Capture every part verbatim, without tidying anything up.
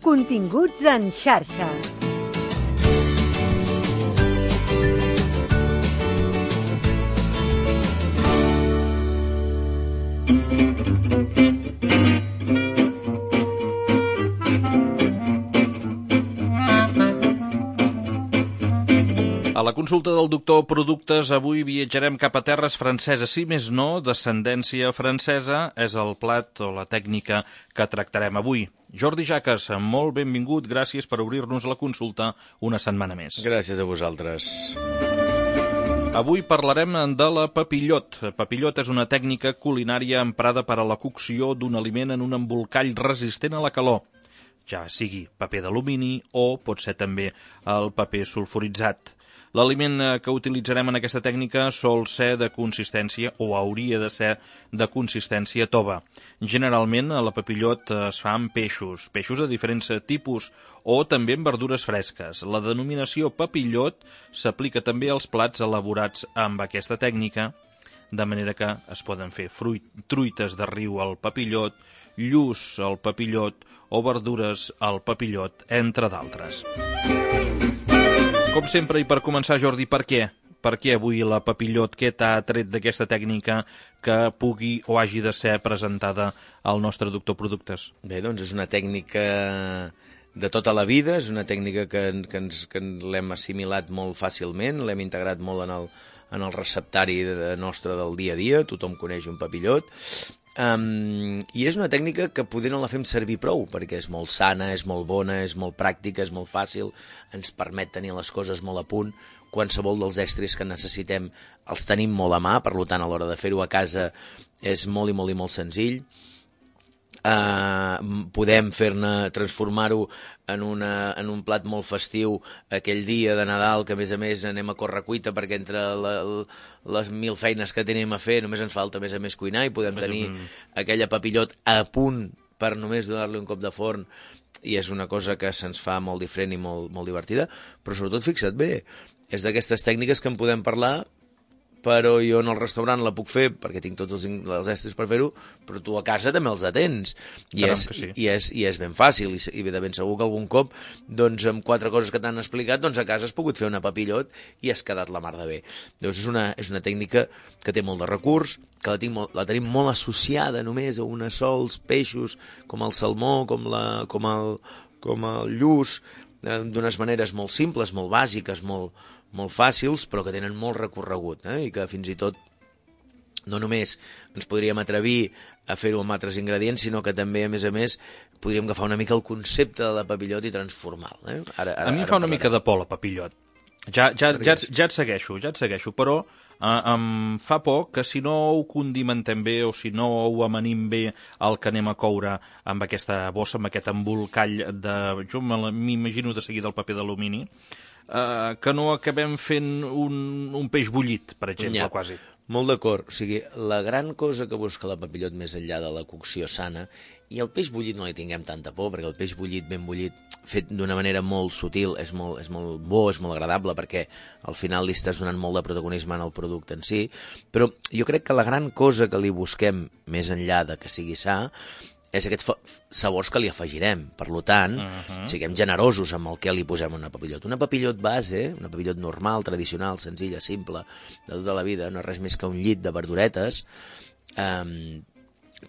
Continguts en xarxa. A la consulta del doctor Productes avui viatjarem cap a terres franceses. Si més no, descendència francesa és el plat o la tècnica que tractarem avui. Jordi Jaques, molt benvingut, gràcies per obrir-nos la consulta una setmana més. Gràcies a vosaltres. Avui parlarem de la papillot. Papillot és una tècnica culinària emprada per a la cocció d'un aliment en un embolcall resistent a la calor, ja sigui paper d'alumini o pot ser també el paper sulfuritzat. L'aliment que utilitzarem en aquesta tècnica sol ser de consistència o hauria de ser de consistència tova. Generalment la papillot es fa amb peixos, peixos de diferents tipus o també amb verdures fresques. La denominació papillot s'aplica també als plats elaborats amb aquesta tècnica, de manera que es poden fer fruit, truites de riu al papillot, lluç al papillot o verdures al papillot, entre d'altres. Com sempre, i per començar, Jordi, per què? Per què avui la papillot, què t'ha tret d'aquesta tècnica que pugui o hagi de ser presentada al nostre doctor Productes? Bé, doncs és una tècnica de tota la vida, és una tècnica que, que, ens, que l'hem assimilat molt fàcilment, l'hem integrat molt en el, en el receptari de, nostre del dia a dia, tothom coneix un papillot. Um, i és una tècnica que poder no la fem servir prou, perquè és molt sana, és molt bona, és molt pràctica, és molt fàcil, ens permet tenir les coses molt a punt. Qualsevol dels estris que necessitem els tenim molt a mà, per tant a l'hora de fer-ho a casa és molt i molt i molt senzill. Uh, podem fer-ne, transformar-ho en, una, en un plat molt festiu aquell dia de Nadal, que a més a més anem a correcuita perquè entre la, les mil feines que tenim a fer només ens falta a més a més cuinar i podem tenir aquella papillot a punt per només donar-li un cop de forn, i és una cosa que se'ns fa molt diferent i molt, molt divertida, però sobretot fixa't bé, és d'aquestes tècniques que en podem parlar, però jo en el restaurant la puc fer perquè tinc tots els, els estris per fer-ho, però tu a casa també els atens i, és, sí. i, és, i és ben fàcil i, i de ben segur que algun cop doncs, amb quatre coses que t'han explicat doncs a casa has pogut fer una papillot i has quedat la mar de bé. Doncs és una, és una tècnica que té molt de recurs, que la, tinc molt, la tenim molt associada només a una sols peixos com el salmó, com, la, com, el, com el lluç, eh, d'unes maneres molt simples, molt bàsiques, molt molt fàcils, però que tenen molt recorregut, eh? I que fins i tot no només ens podríem atrevir a fer-ho amb altres ingredients, sinó que també, a més a més, podríem agafar una mica el concepte de la papillot i transformar-lo. Eh? Ara, ara, a mi em fa una mica de por la papillot. Ja, ja, ja, ja et segueixo, ja et segueixo, però eh, em fa por que si no ho condimentem bé o si no ho amanim bé el que anem a coure amb aquesta bossa, amb aquest embolcall de... Jo m'imagino de seguida el paper d'alumini, Uh, que no acabem fent un, un peix bullit, per exemple, ja, quasi. Molt d'acord. O sigui, la gran cosa que busca la papillot més enllà de la cocció sana, i el peix bullit no li tinguem tanta por, perquè el peix bullit, ben bullit, fet d'una manera molt sutil, és molt, és molt bo, és molt agradable, perquè al final li estàs donant molt de protagonisme en el producte en si, però jo crec que la gran cosa que li busquem, més enllà de que sigui sa, és aquests sabors que li afegirem. Per tant, uh-huh. siguem generosos amb el que li posem a una papillot. Una papillot base, una papillot normal, tradicional, senzilla, simple, de tota la vida, no és res més que un llit de verduretes, eh,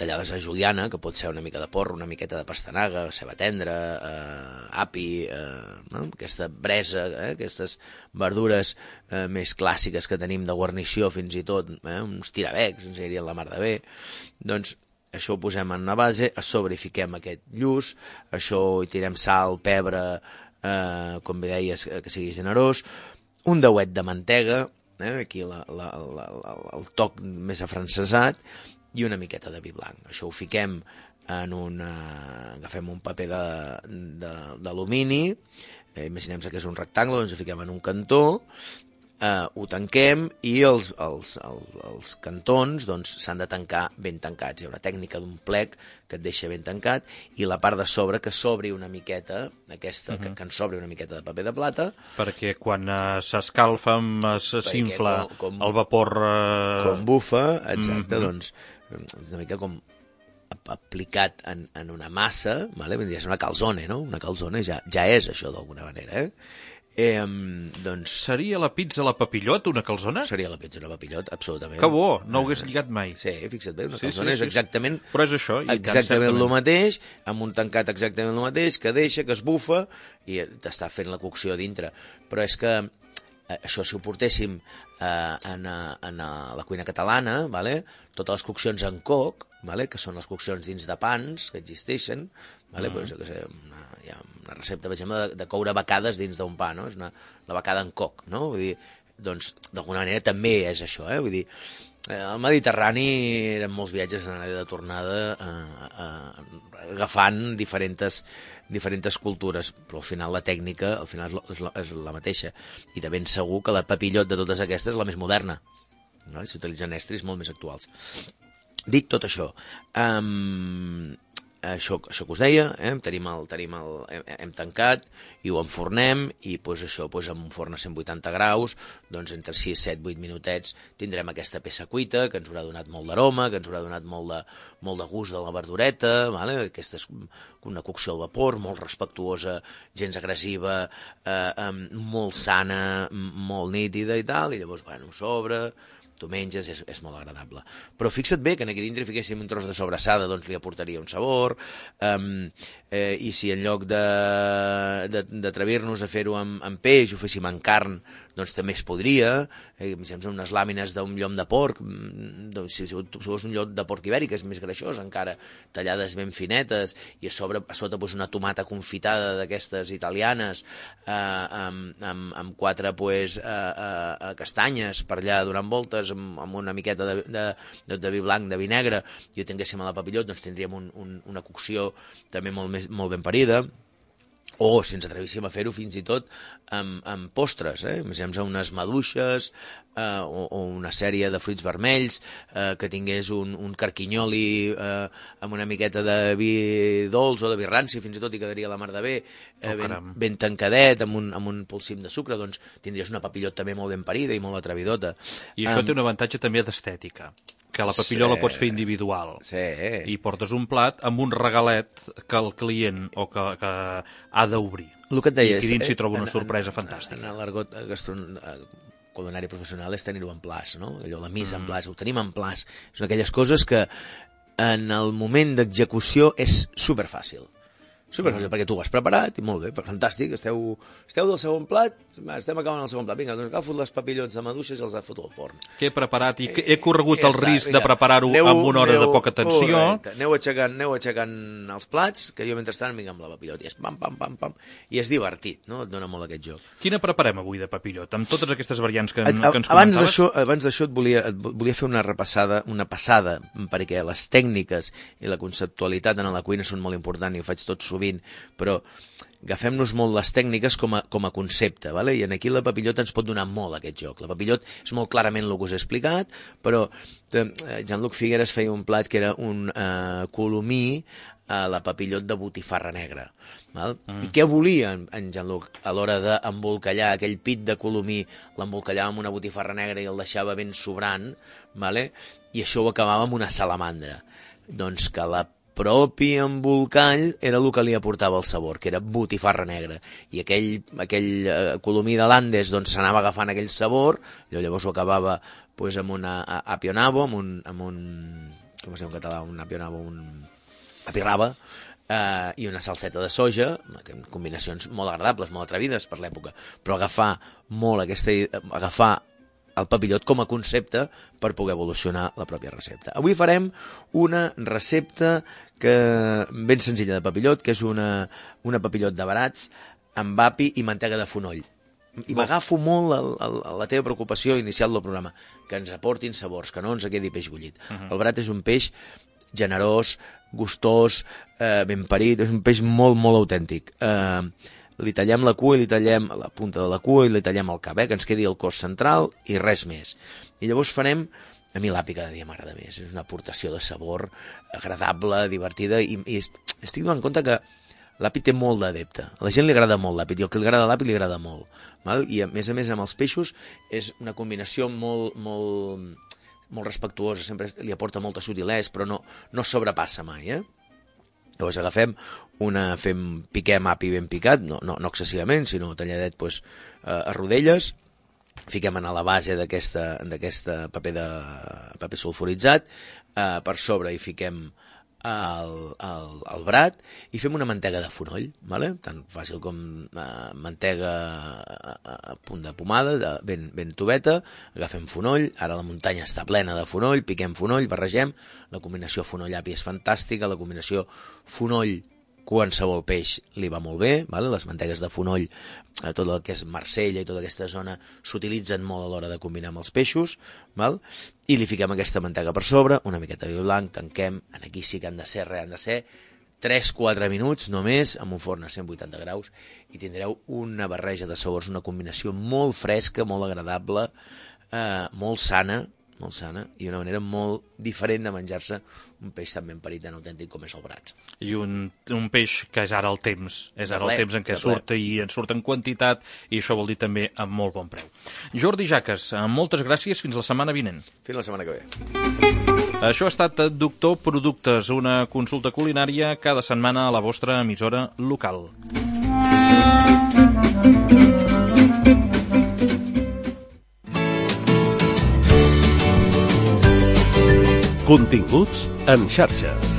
tallades a juliana, que pot ser una mica de porro, una miqueta de pastanaga, ceba tendra, eh, api, eh, no? Aquesta bresa, eh? Aquestes verdures eh, més clàssiques que tenim de guarnició fins i tot, eh? Uns tirabecs, ens anirien la mar de bé. Doncs això ho posem en una base, a sobre hi fiquem aquest lluç, això hi tirem sal, pebre, eh, com bé deies, que sigui generós, un dauet de mantega, eh, aquí la, la, la, la, el toc més afrancesat, i una miqueta de vi blanc. Això ho fiquem en una... agafem un paper d'alumini, eh, imaginem-se que és un rectangle, doncs ho fiquem en un cantó, Uh, ho tanquem i els, els, els, els cantons doncs, s'han de tancar ben tancats. Hi ha una tècnica d'un plec que et deixa ben tancat i la part de sobre que s'obri una miqueta, aquesta, uh-huh. que, que en s'obri una miqueta de paper de plata. Perquè quan uh, s'escalfa, s'infla el vapor... Uh... Com bufa, exacte, uh-huh. doncs una mica com aplicat en, en una massa, vale? És una calzone, no? Una calzone ja, ja és això d'alguna manera, eh? Eh, doncs... Seria la pizza a la papillot, una calzona? Seria la pizza a la papillot, absolutament. Que bo, no ho hagués lligat mai. Sí, fixa't bé, una sí, calzona sí, sí, és exactament... Però és això. I exactament el mateix, amb un tancat exactament el mateix, que deixa, que es bufa, i t'està fent la cocció a dintre. Però és que això, si ho portéssim eh, en, en la cuina catalana, vale? Totes les coccions en coc, vale? Que són les coccions dins de pans que existeixen, vale? Mm. Pues, que sé, una, hi ha una recepta, per exemple, de, de coure becades dins d'un pa, no? És una, la becada en coc, no? Vull dir, doncs, d'alguna manera també és això, eh? Vull dir, al Mediterrani eren molts viatges d'anada i de tornada eh, eh, agafant diferents, diferents cultures, però al final la tècnica al final és la, és la mateixa, i de ben segur que la papillot de totes aquestes és la més moderna, no? S'utilitzen estris molt més actuals. Dit tot això, um, això, això que us deia, eh? tenim el, tenim el, hem, hem tancat i ho enfornem, i pues, això pues, amb un forn a cent vuitanta graus, doncs entre sis, set, vuit minutets tindrem aquesta peça cuita, que ens haurà donat molt d'aroma, que ens haurà donat molt de, molt de gust de la verdureta, vale? Aquesta és una cocció al vapor, molt respectuosa, gens agressiva, eh, molt sana, molt nítida i tal, i llavors, bueno, s'obre, tu menges, és, és molt agradable. Però fixa't bé que aquí dintre fiquéssim un tros de sobrassada, doncs li aportaria un sabor, um, eh, i si en lloc d'atrevir-nos a fer-ho amb, amb peix, ho féssim amb carn, doncs també es podria, eh, unes làmines d'un llom de porc, doncs, si, si fos un llom de porc ibèric, és més greixós encara, tallades ben finetes, i a sobre a sota pues, una tomata confitada d'aquestes italianes, eh, amb, amb, amb quatre pues, eh, eh, castanyes per allà donant voltes, amb, amb una miqueta de, de, de, de vi blanc, de vi negre, i ho tinguéssim a la papillot, doncs tindríem un, un, una cocció també molt, més, molt ben parida. O si ens atrevíssim a fer-ho fins i tot amb, amb postres, eh? Imaginem unes maduixes eh, o, o una sèrie de fruits vermells, eh, que tingués un, un carquinyoli eh, amb una miqueta de vi dolç o de vi ranci, fins i tot hi quedaria la mar de bé, eh, oh, ben, ben tancadet, amb un, amb un polsim de sucre, doncs tindries una papillot també molt ben parida i molt atrevidota. I això um, té un avantatge també d'estètica, que la papilló sí. la pots fer individual. Sí. I portes un plat amb un regalet que el client o que, que ha d'obrir. El que et deia, I aquí dins s'hi troba una en, sorpresa en, fantàstica. En l'argot culinari professional és tenir-ho en plaç, no? Allò, la misa mm. en plaç, ho tenim en plaç. Són aquelles coses que en el moment d'execució és superfàcil. Superfàcil, mm. perquè tu ho has preparat i molt bé, fantàstic, esteu, esteu del segon plat, estem acabant el segon plat, vinga, doncs agafo les papillots de maduixes i els foto al forn. Que he preparat i que he corregut el risc de preparar-ho amb una hora de poca tensió. Correcte. Aneu aixecant, aneu aixecant els plats, que jo mentrestant vinc amb la papillot, i és pam, pam, pam, pam, i és divertit, no? Et dona molt aquest joc. Quina preparem avui de papillot, amb totes aquestes variants que, a, a, que ens abans comentaves? D'això, abans d'això et volia, et volia fer una repassada, una passada, perquè les tècniques i la conceptualitat en la cuina són molt importants, i ho faig tot sovint, però agafem-nos molt les tècniques com a, com a concepte, vale? I aquí la papillot ens pot donar molt aquest joc. La papillot és molt clarament el que us he explicat, però eh, Jean-Luc Figueres feia un plat que era un eh, colomí a la papillot de botifarra negra. Val? Mm. I què volia en Jean-Luc a l'hora d'embolcallar aquell pit de colomí? L'embolcallava amb una botifarra negra i el deixava ben sobrant, vale? I això ho acabava amb una salamandra. Doncs que la propi embolcall era el que li aportava el sabor, que era botifarra negra, i aquell, aquell eh, colomí de l'Andes doncs s'anava agafant aquell sabor, llavors ho acabava pues, amb una apionabo, amb un, amb un com es diu en català, un apionabo, un apirraba, eh, i una salseta de soja, combinacions molt agradables, molt atrevides per l'època, però agafar molt aquesta, agafar el papillot com a concepte per poder evolucionar la pròpia recepta. Avui farem una recepta que ben senzilla de papillot, que és una, una papillot de barats amb api i mantega de fonoll. I m'agafo molt a, a, a la teva preocupació inicial del programa, que ens aportin sabors, que no ens quedi peix bullit. Uh -huh. El barat és un peix generós, gustós, eh, ben parit, és un peix molt, molt autèntic. Eh, li tallem la cua i li tallem la punta de la cua i li tallem el cap, eh, que ens quedi el cos central i res més. I llavors farem, a mi l'api cada dia m'agrada més, és una aportació de sabor agradable, divertida, i, i estic donant compte que l'api té molt d'adepte. A la gent li agrada molt l'api, i el que li agrada l'api li agrada molt. Val? I a més a més amb els peixos és una combinació molt, molt, molt respectuosa, sempre li aporta molta sutilesa, però no, no sobrepassa mai, eh? Llavors agafem una, fem, piquem api ben picat, no, no, no excessivament, sinó talladet pues, a rodelles, fiquem a la base d'aquest paper, de, paper sulfuritzat, eh, per sobre hi fiquem el, el, el brat i fem una mantega de fonoll, vale? Tan fàcil com eh, mantega a, a punt de pomada, de, ben, ben tubeta, agafem fonoll, ara la muntanya està plena de fonoll, piquem fonoll, barregem, la combinació fonoll-api és fantàstica, la combinació fonoll qualsevol peix li va molt bé, vale? Les mantegues de fonoll, eh, tot el que és Marsella i tota aquesta zona s'utilitzen molt a l'hora de combinar amb els peixos, val? I li fiquem aquesta mantega per sobre, una miqueta de vi blanc, tanquem, aquí sí que han de ser, res, han de ser tres quatre minuts només, amb un forn a cent vuitanta graus, i tindreu una barreja de sabors, una combinació molt fresca, molt agradable, eh, molt sana, molt sana, i una manera molt diferent de menjar-se un peix tan ben parit, tan autèntic com és el brat. I un, un peix que és ara el temps, és ara el temps en què surt i en surt en quantitat, i això vol dir també amb molt bon preu. Jordi Jaques, moltes gràcies, fins la setmana vinent. Fins la setmana que ve. Això ha estat Doctor Productes, una consulta culinària cada setmana a la vostra emissora local. Continguts en xarxa.